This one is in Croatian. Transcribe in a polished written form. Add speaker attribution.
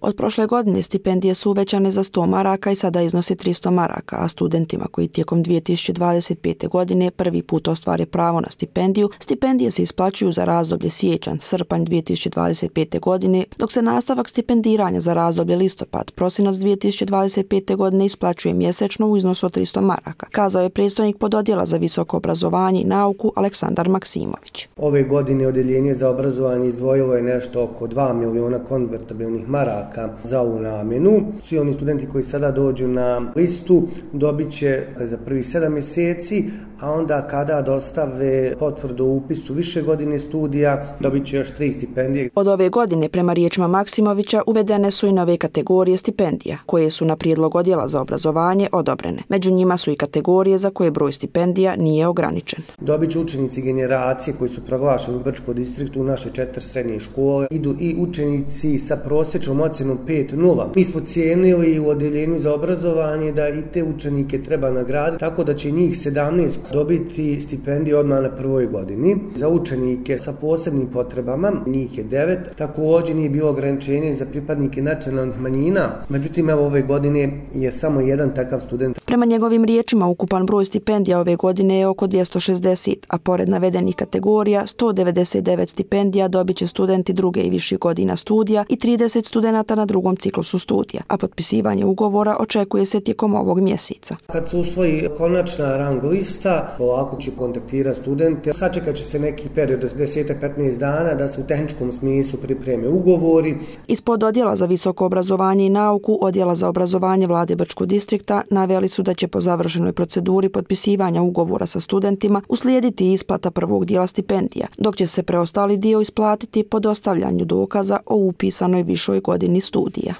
Speaker 1: Od prošle godine stipendije su uvećane za 100 maraka i sada iznose 300 maraka, a studentima koji tijekom 2025. godine prvi put ostvare pravo na stipendiju, stipendije se isplaćuju za razdoblje siječanj-srpanj 2025. godine, dok se nastavak stipendiranja za razdoblje listopad-prosinac 2025. godine isplaćuje mjesečno u iznosu od 300 maraka, kazao je predstojnik pododjela za visoko obrazovanje i nauku Aleksandar Maksimović.
Speaker 2: Ove godine Odjeljenje za obrazovanje izdvojilo je nešto oko 2 miliona konvertibilnih maraka za ovu namjenu. Svi oni studenti koji sada dođu na listu dobit će za prvih 7 mjeseci, a onda kada dostave potvrdu o upisu više godine studija, dobit će još 3 stipendije.
Speaker 1: Od ove godine, prema riječima Maksimovića, uvedene su i nove kategorije stipendija, koje su na prijedlog Odjela za obrazovanje odobrene. Među njima su i kategorije za koje broj stipendija nije ograničen.
Speaker 2: Dobit će učenici generacije koji su proglašeni u Brčkom distriktu u naše 4 srednje škole. Idu i učenici sa prosječnom ocjenom 5.0. Mi smo cijenili u Odjeljenju za obrazovanje da i te učenike treba nagraditi, tako da će njih 17 dobiti stipendije odmah na prvoj godini. Za učenike sa posebnim potrebama, njih je 9, također nije bilo ograničenje za pripadnike nacionalnih manjina, međutim ove godine je samo jedan takav student.
Speaker 1: Prema njegovim riječima, ukupan broj stipendija ove godine je oko 260, a pored navedenih kategorija 199 stipendija dobit će studenti druge i viših godina studija i 30 studenata na drugom ciklusu studija, a potpisivanje ugovora očekuje se tijekom ovog mjeseca.
Speaker 2: Kad se usvoji konačna rang lista, polako će kontaktirati studente. Sačekat će se neki period od 10-15 dana da se u tehničkom smislu pripreme ugovori.
Speaker 1: Ispod Odjela za visoko obrazovanje i nauku Odjela za obrazovanje Vlade Brčkog distrikta naveli su da će po završenoj proceduri potpisivanja ugovora sa studentima uslijediti isplata prvog dijela stipendija, dok će se preostali dio isplatiti po dostavljanju dokaza o upisanoj višoj godini studija.